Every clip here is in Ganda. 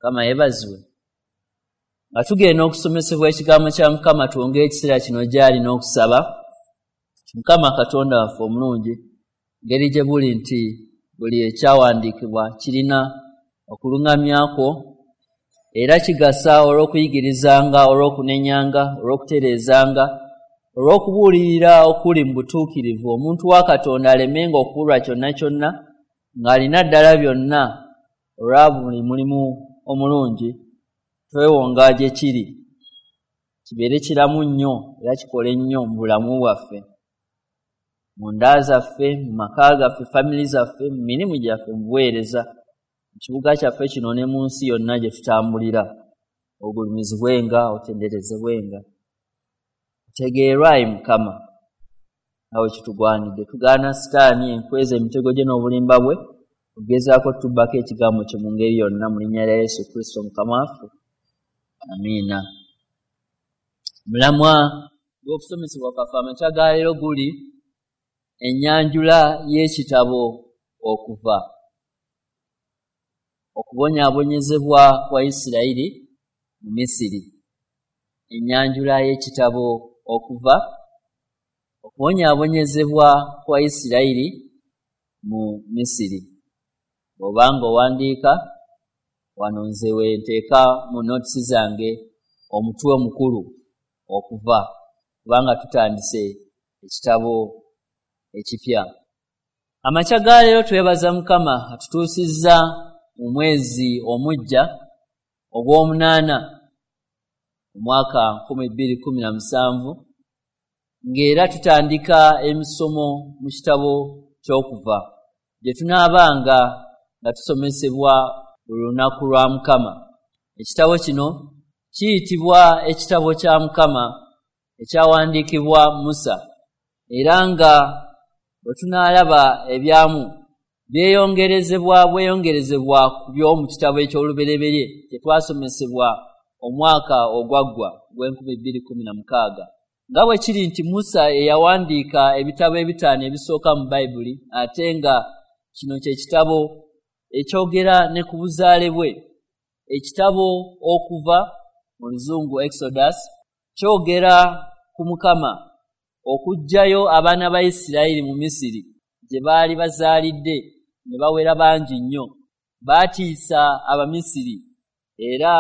Mukama yeebazibwe. Nga tugenda okusomesebwa ekigambo kya Mukama, twongere ekiseera kino gy'ali n'okusaba. Mukama Katonda waffe omulungi, ngeri gye buli nti buli ekyawandiikibwa kirina okuluŋŋamya kwo, era kigasa olw'okuyigirizanga, olw'okunenyanga, olw'okutereezanga, olw'okubuulirira okuli mu butuukirivu, omuntu wa Katonda alemenga okubulwa kyonna kyonna, ng'alina ddala byonna olwa buli mulimu omulungi. Twewonga gye kiri kibeere kiramu nnyo era kikole nnyo mu bulamu bwaffe, mu nda zaffe, mu maka gaffe, family zaffe, mu mirimu gyaffe, mu buweereza, mu kibuga kyaffe kino ne mu nsi yonna gye tutambulira. Ogulumizibwenga, otenderezebwenga, otegeerwe ayi Mukama nga bwe kitugwanidde. Tugaana Sitaani enkweza emitego gye n'obulimba bwe, ogezaako tubbako ekigambo kye mu ngeri yonna, mu linnya lya Yesu Kristo Mukama waffe. Amiina. Mulamwa gw'okusomesebwa kwaffe amakya ga leero guli ennyanjula y'ekitabo Okuva, okubonyaabonyezebwa kwa Isirayiri mu Misiri. Ennyanjula y'ekitabo Okuva, okubonyaabonyezebwa kwa Isirayiri mu Misiri. Bw'obanga owandiika wano, nze we nteeka mu notes zange omutwe omukulu Okuva, kubanga tutandise ekitabo ekipya. Amakya ga leero twebaza Mukama atutuusizza mu mwezi omuggya ogw'omunaana omwaka 2017, ng'era tutandika emisomo mu kitabo ky'Okuva gye tunaabanga nga tusomesebwa buli lunaku lwa Mukama. Ekitabo kino kiyitibwa ekitabo kya Mukama ekyawandiikibwa Musa, era nga bwe tunaalaba ebyamu byeyongerezebwa bweyongerezebwa ku by'omu kitabo eky'olubereberye kye twasomesebwa omwaka ogwaggwa ogw'e 2016. Nga bwe kiri nti Musa eyawandiika ebitabo ebitaano ebisooka mu Bayibuli, ate nga kino kye kitabo ekyogera ne ku buzaale bwe. Ekitabo Okuva, mu Luzungu Exodus, kyogera ku Mukama okuggyayo abaana ba Isirayiri mu Misiri gye baali bazaalidde ne bawera bangi nnyo. Baatiisa Abamisiri, era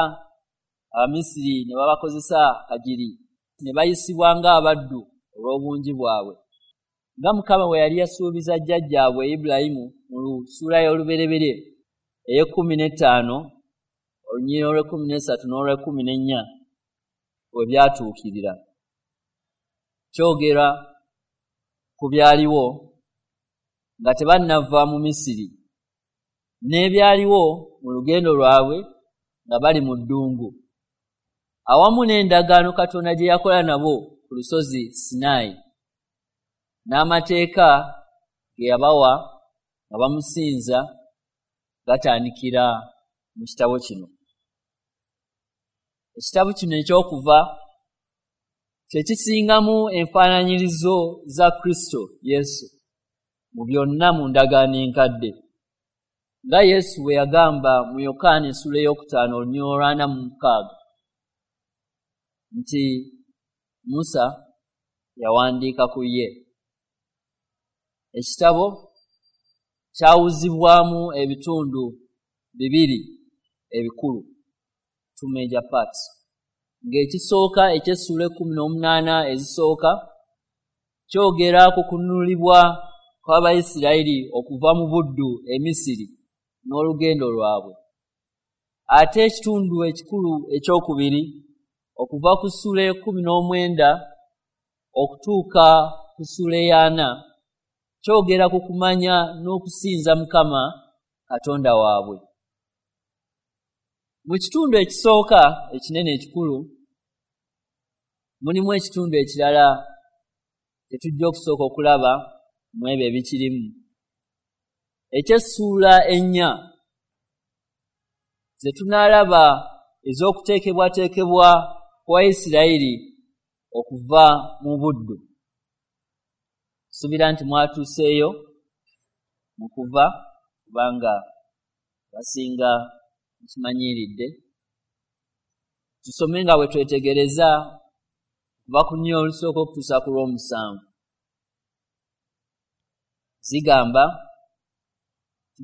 Abamisiri ne babakozesa kagiri, ne bayisibwa ng'abaddu olw'obungi bwabwe, nga Mukama bwe yali yasuubiza jjajjaabwe Ibulayimu mu ssuula y'olubereberye ey'e 15, olunyiriri olw'e 13 n'olw'e 14 we byatuukirira. Kyogera ku byaliwo nga tebannava mu Misiri n'ebyaliwo mu lugendo lwabwe nga bali mu ddungu, awamu n'endagaano Katonda gye yakola nabo ku lusozi Sinaayi, n'amateeka ge yabawa nga bamusinza gatandikira mu kitabo kino. Ekitabo kino eky'Okuva kye kisingamu enfaananyirizo za Kristo Yesu mu byonna mu ndagaano enkadde, nga Yesu bwe yagamba mu Yokaana essula 5, olunyiriri olw'46 nti Musa yawandiika ku ye. Ekitabo kyawuzibwamu ebitundu bibiri ebikulu, two major parts, ng'ekisooka eky'essuula 18 ezisooka kyogera ku kununulibwa kw'Abayisirayiri okuva mu buddu e Misiri n'olugendo lwabwe, ate ekitundu ekikulu ekyokubiri, okuva ku ssuula 19 okutuuka ku ssuula 40, kyogera ku kumanya n'okusinza Mukama Katonda waabwe. Mu kitundu ekisooka ekinene ekikulu mulimu ekitundu ekirala tetujja okusooka okulaba mu ebyo ebikirimu, eky'essuula 4 ze tunaalaba ez'okuteekebwateekebwa kwa Isirayiri okuva mu buddu. Suubira nti mwatuuseeyo mu Kuva, kubanga basinga Mukimanyiiridde. Tusome nga bwe twetegereza kuva ku nnyo olusooka okutuusa ku lw'omusanvu. Zigamba,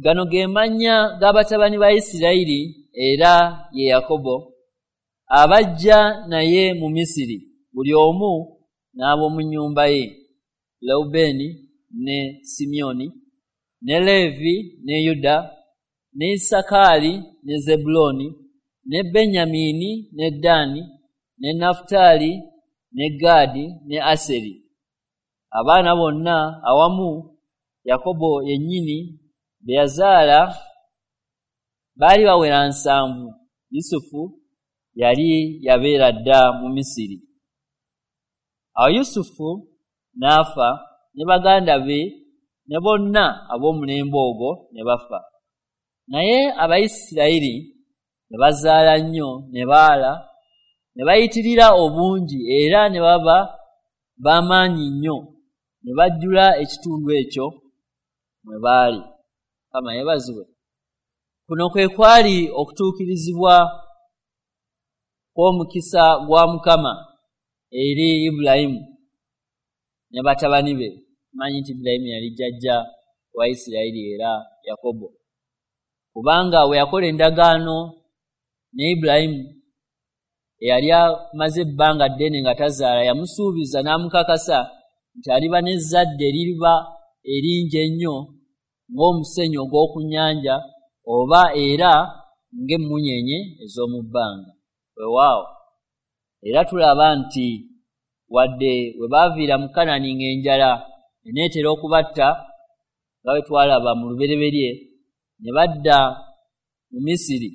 gano ge mannya g'abatabani ba Isirayiri era ye Yakobo abajja naye mu Misiri, buli omu n'ab'omu nnyumba ye: Lewubeeni ne Simyoni ne Leevi ne Yuda ne Isakaali ne Zebbulooni ne Benyamini ne Ddaani ne Nafutaali ne Gaadi ne Aseri. Abaana bonna awamu Yakobo yennyini be yazaala baali bawera 7. Yusufu yali yabeera dda mu Misiri. Awo Yusufu n'afa ne baganda be ne bonna ab'omulembe ogwo ne bafa. Naye Abayisirayiri ne bazaala nnyo ne baala ne bayitirira obungi era ne baba b'amaanyi nnyo ne bajjula ekitundu ekyo mwe baali. Mukama yeebazibwe. Kuno kwe kwali okutuukirizibwa kw'omukisa gwa Mukama eri Ibulayimu ne batabani be. Manyi nti Ibulayimu yali jjajja wa Isirayiri era Yakobo, kubanga we yakola endagaano ne Ibulayimu eyali amaze ebbanga ddene nga tazaala, yamusuubiza n'amukakasa nti aliba n'ezzadde eririba eringi ennyo ng'omusenyu ogw'oku nnyanja oba era ng'emmunyeenye ez'omu bbanga. Weewaawo era tulaba nti wadde we baaviira mu Kanani ng'enjala eneetera okubatta, nga bwe twalaba mu lubereberye, ne badda mu Misiri,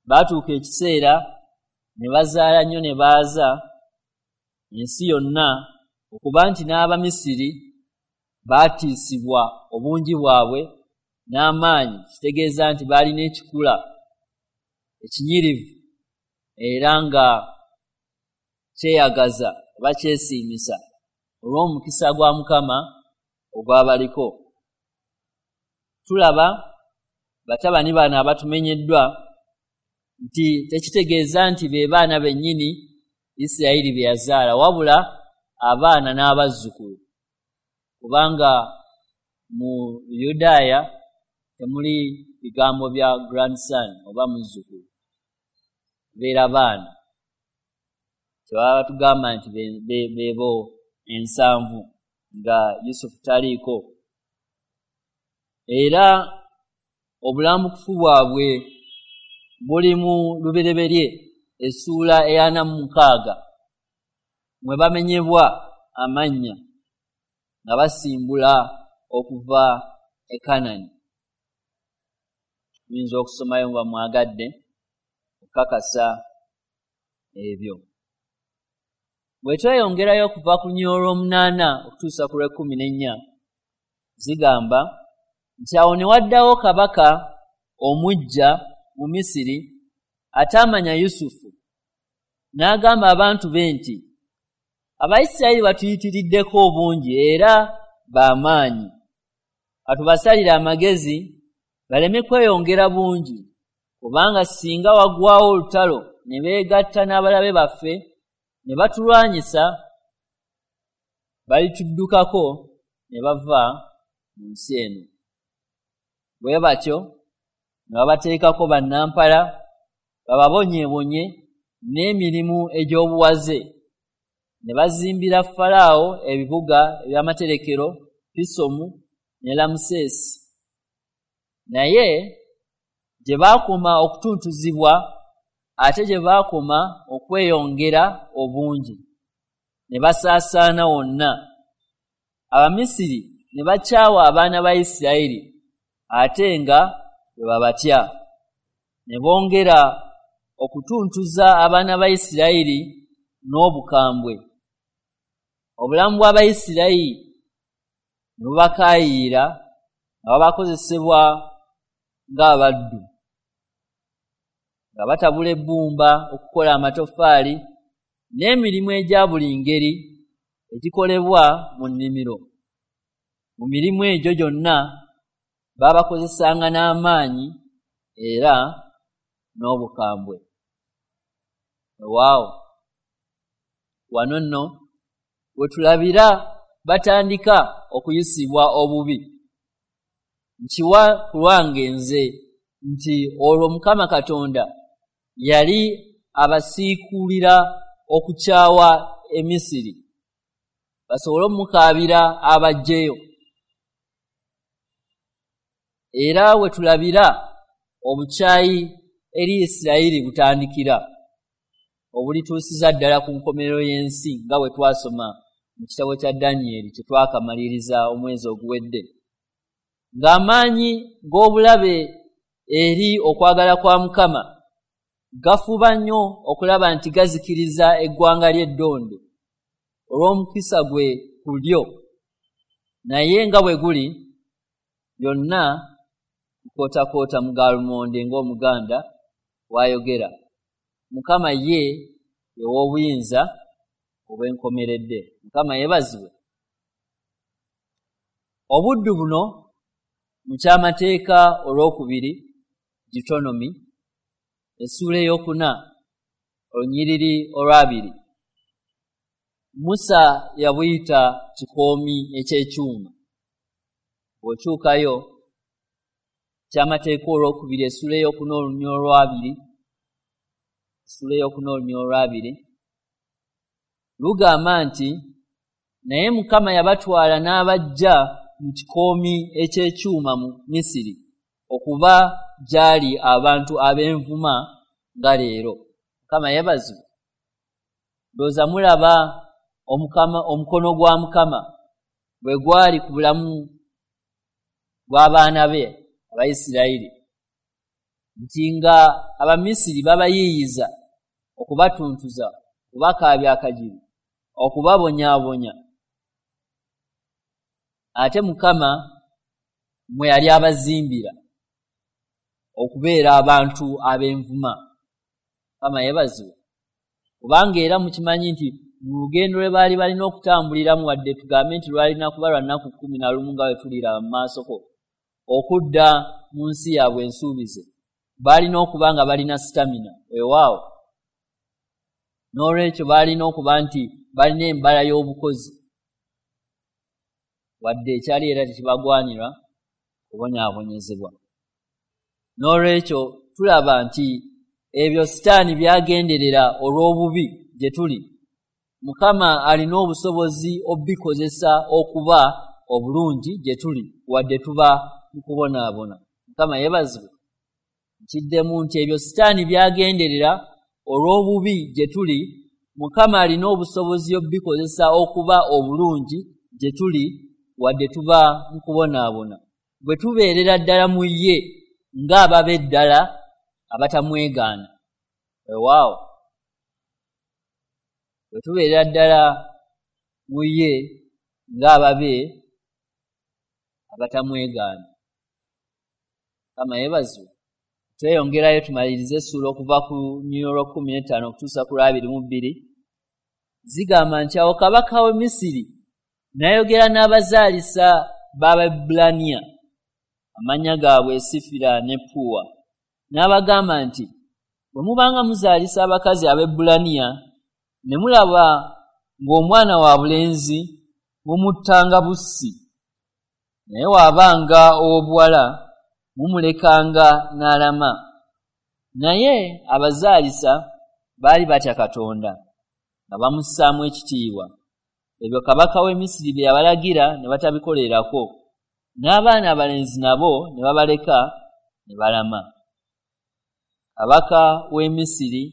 baatuuka ekiseera ne bazaala nnyo ne baaza ensi yonna, okuba nti n'Abamisiri baatiisibwa obungi bwabwe n'amaanyi, kitegeeza nti baalina ekikula ekinyirivu era nga kyeyagaza oba kyesiimisa olw'omukisa gwa Mukama ogwabaliko. Tulaba batabani bano abatumenyeddwa nti tekitegeeza nti be baana bennyini Isirayiri be yazaala, wabula abaana n'abazzukulu, kubanga mu Yudaaya temuli bigambo bya grandson oba muzzukulu, beera baana. Kyebaba batugamba nti beebo 7 nga Yusufu taliiko. Era obulambukufu bwabwe buli mu Lubereberye essuula 46 mwe bamenyebwa amannya nga basimbula okuva e Kanani. Muyinza okusomayo nga mwagadde okukakasa ebyo. Bwe tweyongerayo okuva ku nnyo olw'omunaana okutuusa ku lw'ekkumi n'ennya, zigamba nti awo ne waddawo kabaka omuggya mu Misiri ataamanya Yusufu, n'agamba abantu be nti, Abayisirayiri batuyitiriddeko obungi era b'amaanyi, katubasalire amagezi baleme kweyongera bungi, kubanga singa wagwawo olutalo ne beegatta n'abalabe baffe ne batulwanyisa, balituddukako ne bava mu nsi eno. Bwe batyo ne babateekako bannampala bababonyeebonye n'emirimu egy'obuwaze, ne bazimbira Falaawo ebibuga eby'amaterekero Pisomu ne Lamusesi. Naye gye baakoma okutuntuzibwa ate gye baakoma okweyongera obungi, ne basaasaana wonna. Abamisiri ne bakyawa abaana ba Isirayiri ate nga bwe babatya, ne bongera okutuntuza abaana ba Isirayiri n'obukambwe. Obulamu bw'Abayisirayiri ne bubakaayiira nga babakozesebwa ng'abaddu, nga batabula ebbumba okukola amatoffaali n'emirimu egya buli ngeri egikolebwa mu nnimiro. Mu mirimu egyo gyonna baabakozesanga n'amaanyi era n'obukambwe. Waawo, wano nno wetulabira batandika okuyisibwa obubi. Nkiwa ku lwange nze nti olwo Mukama Katonda yali abasiikulira okukyawa Emisiri basobole omukaabira abaggyeyo. Era wetulabira obukyayi eri Isirayiri butandikira, obulituusiza ddala ku nkomerero y'ensi nga bwe twasoma mu kitabo kya Danyeri kye twakamaliriza omwezi oguwedde. Ng'amaanyi g'obulabe eri okwagala kwa Mukama gafuba nnyo okulaba nti gazikiriza eggwanga ly'eddonde olw'omukisa gwe ku lyo, naye nga bwe guli byonna kukootakoota mu galumonde ng'Omuganda bw'ayogera. Mukama ye ew'obuyinza obw'enkomeredde. Mukama yeebazibwe. Obuddu buno mu kyamateeka olwokubiri, Deuteronomy, essuula 4 olunyiriri olwabiri, Musa yabuyita kikoomi eky'ekyuma. Bw'okyukayo kyamateeka olwokubiri essuula 4 olunyiriri olwabiri, essuula 4 olunyiriri olwabiri lugamba nti, naye Mukama yabatwala n'abaggya mu kikoomi eky'ekyuma mu Misiri okuba gy'ali abantu ab'envuma nga leero. Mukama yeebazibwe. Ndowooza mulaba omukono gwa Mukama bwe gwali ku bulamu bw'abaana be Abayisirayiri, nti nga Abamisiri babayiiyiza okubatuntuza, okubakaabya akajiri, okubabonyaabonya, ate Mukama mwe yali abazimbira okubeera abantu ab'envuma. Mukama yeebazibwe. Kubanga era mukimanyi nti mu lugendo lwe baali balina okutambuliramu, wadde tugambe nti lwalina kuba lwa nnaku 11 nga bwe tuliraba mu maasoko, okudda mu nsi yaabwe ensuubize, baalina okuba nga balina sitamina. Weewaawo, n'olwekyo baalina okuba nti balina embala y'obukozi, wadde ekyali era tekibagwanira kubonyaabonyezebwa. N'olwekyo tulaba nti ebyo Sitaani byagenderera olw'obubi gye tuli, Mukama alina obusobozi obikozesa okuba obulungi gye tuli, wadde tuba mu kubonaabona. Mukama yeebazibwe. Nkiddemu nti ebyo Sitaani byagenderera olw'obubi gye tuli, Mukama alina obusobozi obikozesa okuba obulungi gye tuli, wadde tuba mu kubonaabona. Bwe tubeerera ddala mu ye ng'ababe ddala abatamwegaana. Weewaawo, bwe tubeerera ddala mu ye ng'ababe abatamwegaana. Mukama yeebazibwe. Tweyongerayo tumalirize essuula okuva ku lunyiriri olwa 15 okutuusa ku lwa 22. Zigamba nti, awo kabaka w'e Misiri n'ayogera n'abazaalisa b'Abaebbulaniya, amannya gaabwe Sifira ne Puwa, n'abagamba nti, bwe mubanga muzaalisa abakazi Abaebbulaniya ne mulaba ng'omwana wa bulenzi, mumuttanga bussi, naye bw'abanga ow'obuwala mumulekanga n'alama. Naye abazaalisa baali batya Katonda, nga bamussaamu ekitiibwa. Ebyo kabaka w'e Misiri bye yabalagira ne batabikolerako, n'abaana abalenzi nabo ne babaleka ne balama. Kabaka w'e Misiri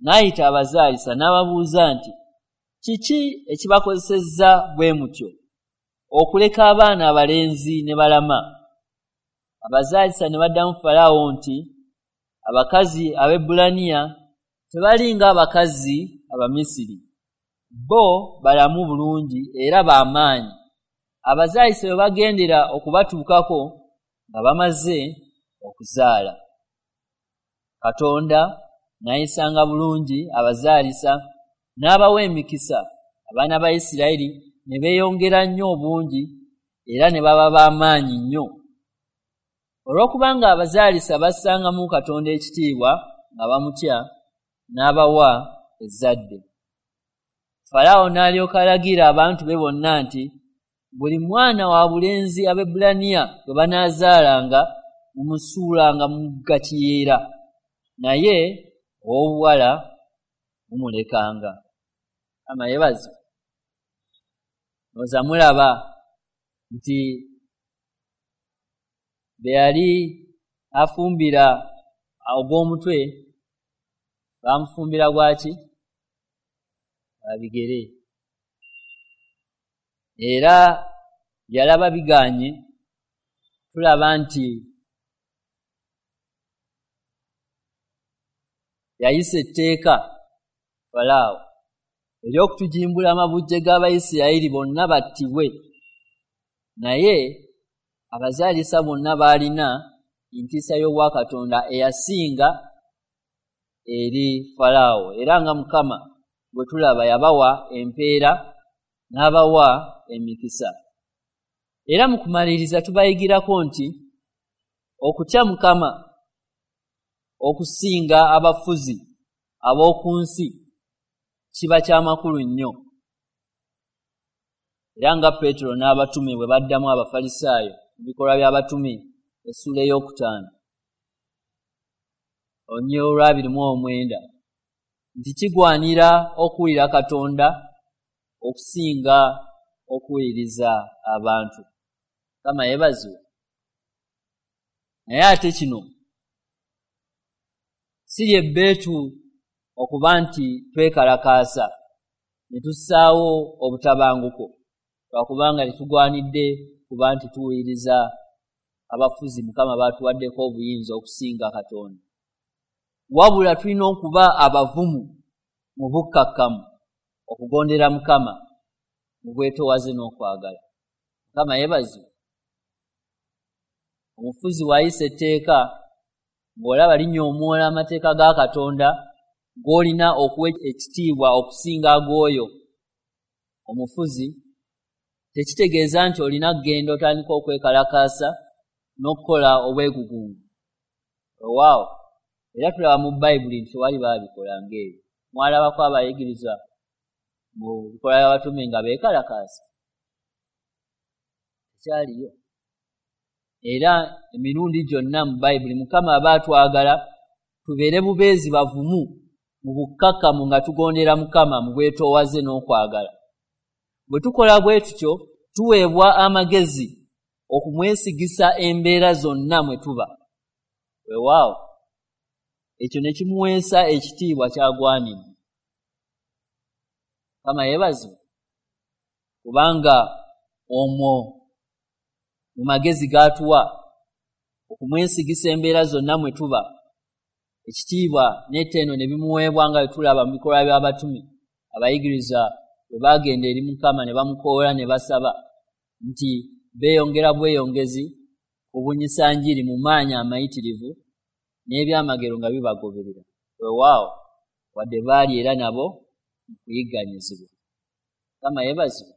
n'ayita abazaalisa n'ababuuza nti, kiki ekibakozesezza bwe mutyo okuleka abaana abalenzi ne balama? Abazaalisa ne baddamu Falaawo nti, abakazi Abaebbulaniya tebali ng'abakazi Abamisiri, bo balamu bulungi era b'amaanyi. Abazaalisa bwe bagendera okubatuukako nga bamaze okuzaala. Katonda n'ayisanga bulungi abazaalisa n'abawa emikisa, abaana ba Isirayiri ne beeyongera nnyo obungi era ne baba b'amaanyi nnyo. Olw'okubanga abazaalisa bassangamu Katonda ekitiibwa nga bamutya, n'abawa ezzadde. Falaawo n'alyoka alagira abantu be bonna nti buli mwana wa bulenzi Abaebbulaniya gwe banaazaalanga mumusuulanga mu mugga Kiyira, naye ow'obuwala mumulekanga. Mukama yeebazibwe. Ndowooza mulaba nti be yali afumbira ogw'omutwe bamufumbira gwaki? Gwa bigere. Era yalaba biganye, tulaba nti yayisa etteeka Falaawo ery'okutujimbula amabujje g'Abayisirayiri bonna battibwe, naye abazaalisa bonna baalina entiisa y'obwakatonda eyasinga eri Falaawo, era nga Mukama bwe tulaba yabawa empeera n'abawa emikisa. Era mu kumaliriza tubayigirako nti okutya Mukama okusinga abafuzi ab'oku nsi kiba kyamakulu nnyo. Era nga Peetero n'abatume bwe baddamu Abafalisaayo mu bikolwa by'abatume essuula 5 olunyiriri olwa 29 nti kigwanira okuwulira Katonda okusinga okuwuliriza abantu. Mukama yeebazibwe. Naye ate kino si ly'ebbeetu okuba nti twekalakaasa ne tussaawo obutabanguko, lwakubanga tetugwanidde kuba nti tuwuliriza abafuzi Mukama baatuwaddeko obuyinza okusinga Katonda. Wabula tulina okuba abavumu mu bukkakkamu okugondera Mukama mu bwetoowaze n'okwagala. Mukama yeebazibwe. Omufuzi bw'ayisa etteeka ng'olaba linyoomoola amateeka ga Katonda g'olina okuwa ekitiibwa okusinga ag'oyo omufuzi, tekitegeeza nti olina kugenda otandika okwekalakaasa n'okukola obwegugungu. Weewaawo, era tulaba mu Bayibuli nti tewali baabikola ng'ebyo. Mwalabako abayigirizwa mu bikolwa by'abatume nga beekalakaasa? Tekyaliyo. Era emirundi gyonna mu Bayibuli Mukama aba atwagala tubeere bubeezi bavumu mu bukkakkamu nga tugondera Mukama mu bwetoowaze n'okwagala. Bwe tukola bwe tutyo tuweebwa amagezi okumwesigisa embeera zonna mwe tuba. Weewaawo, ekyo ne kimuweesa ekitiibwa ky'agwanidde. Mukama yeebazibwe, kubanga omwo mu magezi g'atuwa okumwesigisa embeera zonna mwe tuba, ekitiibwa n'ettendo ne bimuweebwa nga bwe tulaba mu bikolwa by'abatume abayigiriza bwe baagenda eri Mukama ne bamukoola ne basaba nti beeyongera bweyongezi kubunyisa njiri mu maanyi amayitirivu n'ebyamagero nga bibagoberera. Weewaawo, wadde baali era nabo mu kuyigganyizibwa. Mukama yeebazibwe,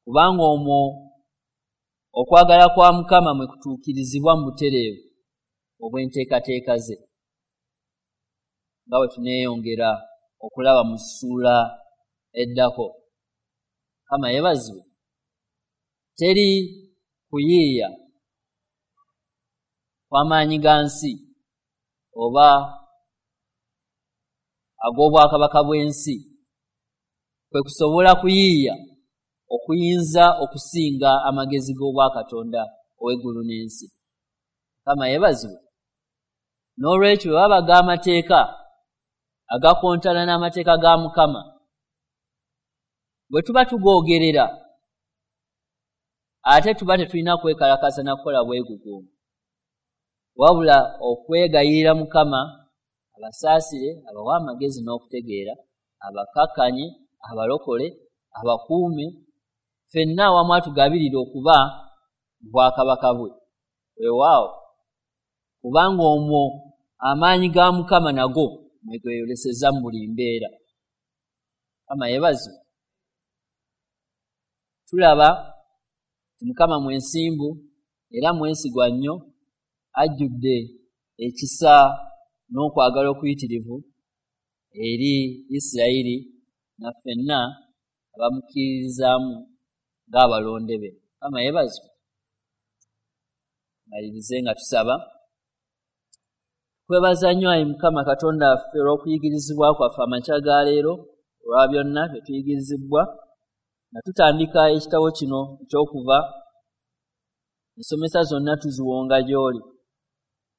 kubanga omwo okwagala kwa Mukama mwe kutuukirizibwa mu butereevu obw'enteekateeka ze, nga bwe tuneeyongera okulaba mu ssuula eddako. Mukama yeebazibwe. Teri kuyiiya kw'amaanyi ga nsi oba ag'obwakabaka bw'ensi kwe kusobola kuyiiya okuyinza okusinga amagezi g'obwakatonda ow'eggulu n'ensi. Mukama yeebazibwe. N'olwekyo bwe babaga amateeka agakontana n'amateeka ga Mukama, bwe tuba tugoogerera ate tuba tetulina kwekalakaasa na kukola bwegugungu, wabula okwegayirira Mukama abasaasire, abawe amagezi n'okutegeera, abakkakkanye, abalokole, abakuume, ffenna awamu atugabirire okuba mu bwakabaka bwe. Weewaawo, kubanga omwo amaanyi ga Mukama nago mwe geeyoleseza mu buli mbeera. Mukama yeebazibwe. Tulaba nti Mukama mwensimbu era mwesigwa nnyo, ajjudde ekisa n'okwagala okuyitirivu eri Isirayiri na ffenna abamukkiririzaamu ng'abalonde be. Mukama yeebazibwe. Malirize nga tusaba. Kwebaza nnyo ayi Mukama Katonda waffe olw'okuyigirizibwa kwaffe amakya ga leero, olwa byonna bye tuyigirizibwa nga tutandika ekitabo kino eky'okuva. Ensomesa zonna tuziwonga gy'oli.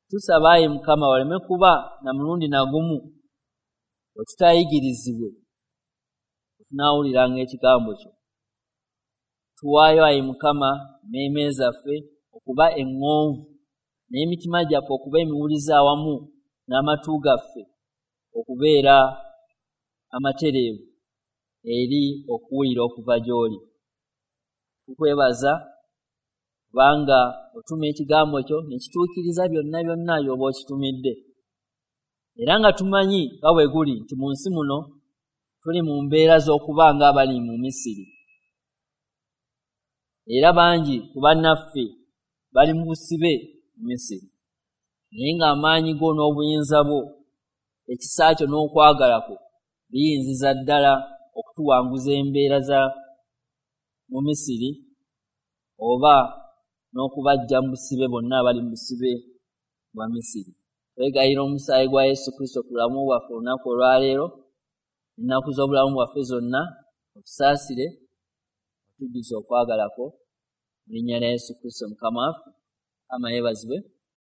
Tusaba ayi Mukama waleme kuba na mulundi na gumu we tutayigirizibwe tunaawuliranga ekigambo kyo. Tuwaayo ayi Mukama emmeeme zaffe okuba eŋŋonvu n'emitima gyaffe okuba emiwulize awamu n'amatu gaffe okubeera amatereevu eri okuwulira okuva gy'oli. Tukwebaza kubanga otuma ekigambo kyo ne kituukiriza byonna byonna by'oba okitumidde. Era nga tumanyi nga bwe guli nti mu nsi muno tuli mu mbeera z'okuba ng'abali mu Misiri. Era bangi ku bannaffe bali mu busibe mu Misiri. Naye ng'amaanyi go n'obuyinza bwo, ekisa kyo n'okwagala kwo biyinziza ddala okutuwanguza embeera za mu Misiri oba n'okubaggya mu busibe bonna abali mu busibe bwa Misiri. Twegayirira omusaayi gwa Yesu Kristo ku bulamu bwaffe olunaku olwaleero, ennaku z'obulamu bwaffe zonna, otusaasire, otujjuze okwagala kwo. Mu linnya lya Yesu Kristo Mukama waffe. Mukama yeebazibwe.